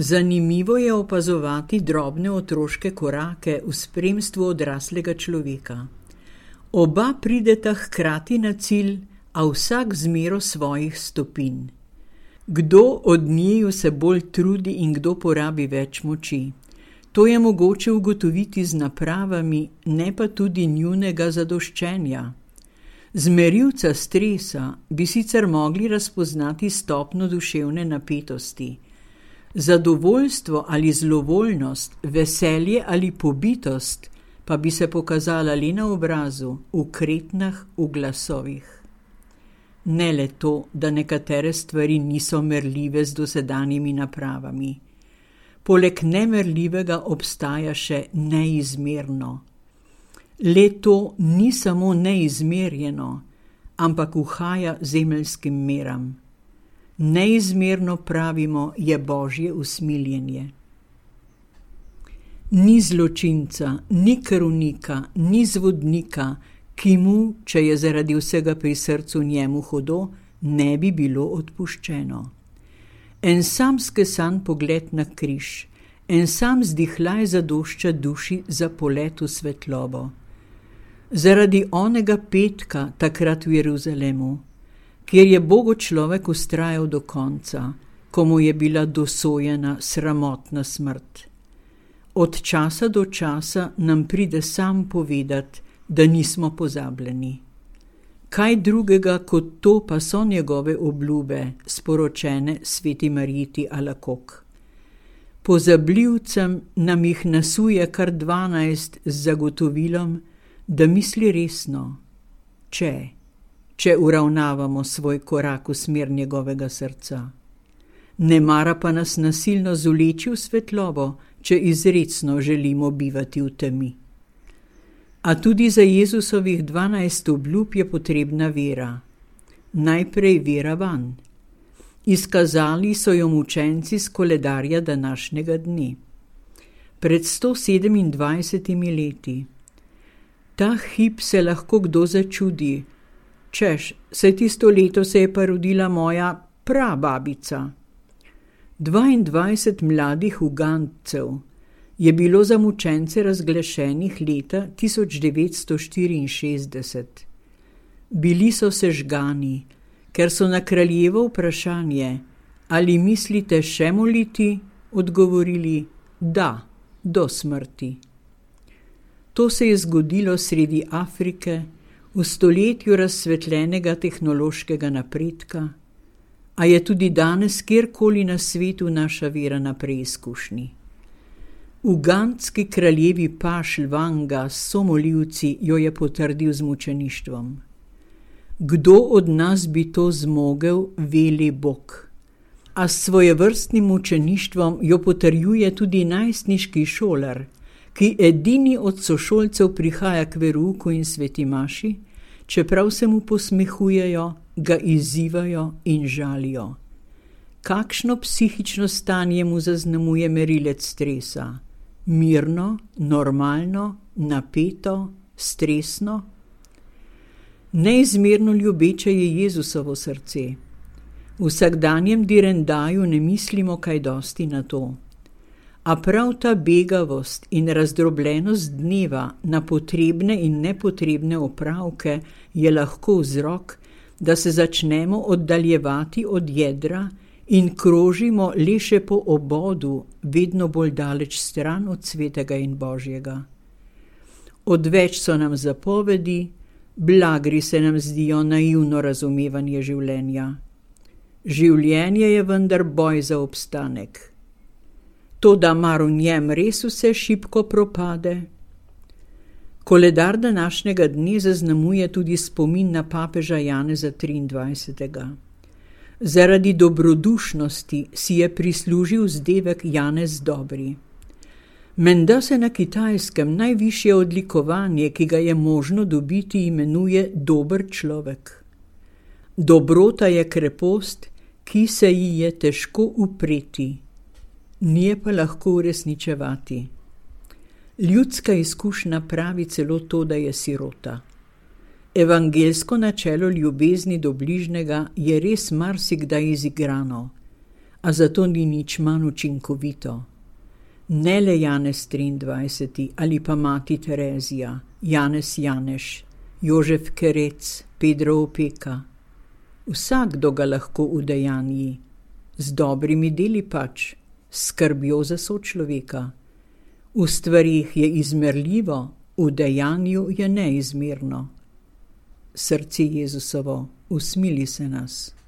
Zanimivo je opazovati drobne otroške korake v spremstvu odraslega človeka. Oba prideta hkrati na cilj, a vsak z mero svojih stopinj. Kdo od njiju se bolj trudi in kdo porabi več moči? To je mogoče ugotoviti z napravami, ne pa tudi njunega zadoščenja. Z merilca stresa bi sicer mogli razpoznati stopnjo duševne napetosti. Zadovoljstvo ali zlovoljnost, veselje ali pobitost pa bi se pokazala le na obrazu, v kretnjah, v glasovih. Ne le to, da nekatere stvari niso merljive z dosedanjimi napravami. Poleg nemerljivega obstaja še neizmerno. Le to ni samo neizmerjeno, ampak uhaja zemeljskim meram. Neizmerno, pravimo, je Božje usmiljenje. Ni zločinca, ni krvnika, ni zvodnika, ki mu, če je zaradi vsega pri srcu njemu hudo, ne bi bilo odpuščeno. En sam skesan pogled na križ, en sam zdihljaj zadošča duši za polet v svetlobo. Zaradi onega petka takrat v Jeruzalemu, kjer je Bogu človek vztrajal do konca, ko mu je bila dosojena sramotna smrt. Od časa do časa nam pride sam povedati, da nismo pozabljeni. Kaj drugega kot to pa so njegove obljube, sporočene sveti Marjeti Alakok. Pozabljivcem nam jih nasuje kar 12 z zagotovilom, da misli resno, če uravnavamo svoj korak v smer njegovega srca. Ne mara pa nas nasilno zuleči v svetlobo, če izrecno želimo bivati v temi. A tudi za Jezusovih 12 obljub je potrebna vera. Najprej vera vanj. Izkazali so jo mučenci s koledarja današnjega dne. Pred 127 leti. Ta hip se lahko kdo začudi. Češ, saj tisto leto se je pa rodila moja prababica. 22 mladih Ugandcev je bilo za mučence razglašenih leta 1964. Bili so sežgani, ker so na kraljevo vprašanje, ali mislite še moliti, odgovorili, da, do smrti. To se je zgodilo sredi Afrike, v stoletju razsvetljenega tehnološkega napredka, a je tudi danes kjerkoli na svetu naša vera na preizkušnji. Ugandski kraljevi paš Lwanga s somoljivci jo je potrdil z mučeništvom. Kdo od nas bi to zmogel, veli Bog. A s svojevrstnim mučeništvom jo potrjuje tudi najstniški šolar, ki edini od sošolcev prihaja k verouku in sveti maši, čeprav se mu posmehujejo, ga izzivajo in žalijo. Kakšno psihično stanje mu zaznamuje merilec stresa? Mirno, normalno, napeto, stresno? Neizmerno ljubeče je Jezusovo srce. V vsakdanjem direndaju ne mislimo kaj dosti na to. A prav ta begavost in razdrobljenost dneva na potrebne in nepotrebne opravke je lahko vzrok, da se začnemo oddaljevati od jedra in krožimo le še po obodu, vedno bolj daleč stran od svetega in Božjega. Odveč so nam zapovedi, blagri se nam zdijo naivno razumevanje življenja. Življenje je vendar boj za obstanek. Toda mar v njem res vse šibko propade? Koledar današnjega dne zaznamuje tudi spomin na papeža Janeza 23. Zaradi dobrodušnosti si je prislužil vzdevek Janez Dobri. Menda se na Kitajskem najvišje odlikovanje, ki ga je možno dobiti, imenuje dober človek. Dobrota je krepost, ki se ji je težko upreti, nije pa lahko uresničevati. Ljudska izkušnja pravi celo to, da je sirota. Evangelsko načelo ljubezni do bližnjega je res marsikdaj izigrano, a zato ni nič manj učinkovito. Ne le Janez 23. ali pa mati Terezija, Janez Janeš, Jožef Kerec, Pedro Opeka. Vsakdo ga lahko udejanji, z dobrimi deli pač, s skrbjo za sočloveka. V stvarih je izmerljivo, v dejanju je neizmerno. Srce Jezusovo, usmili se nas.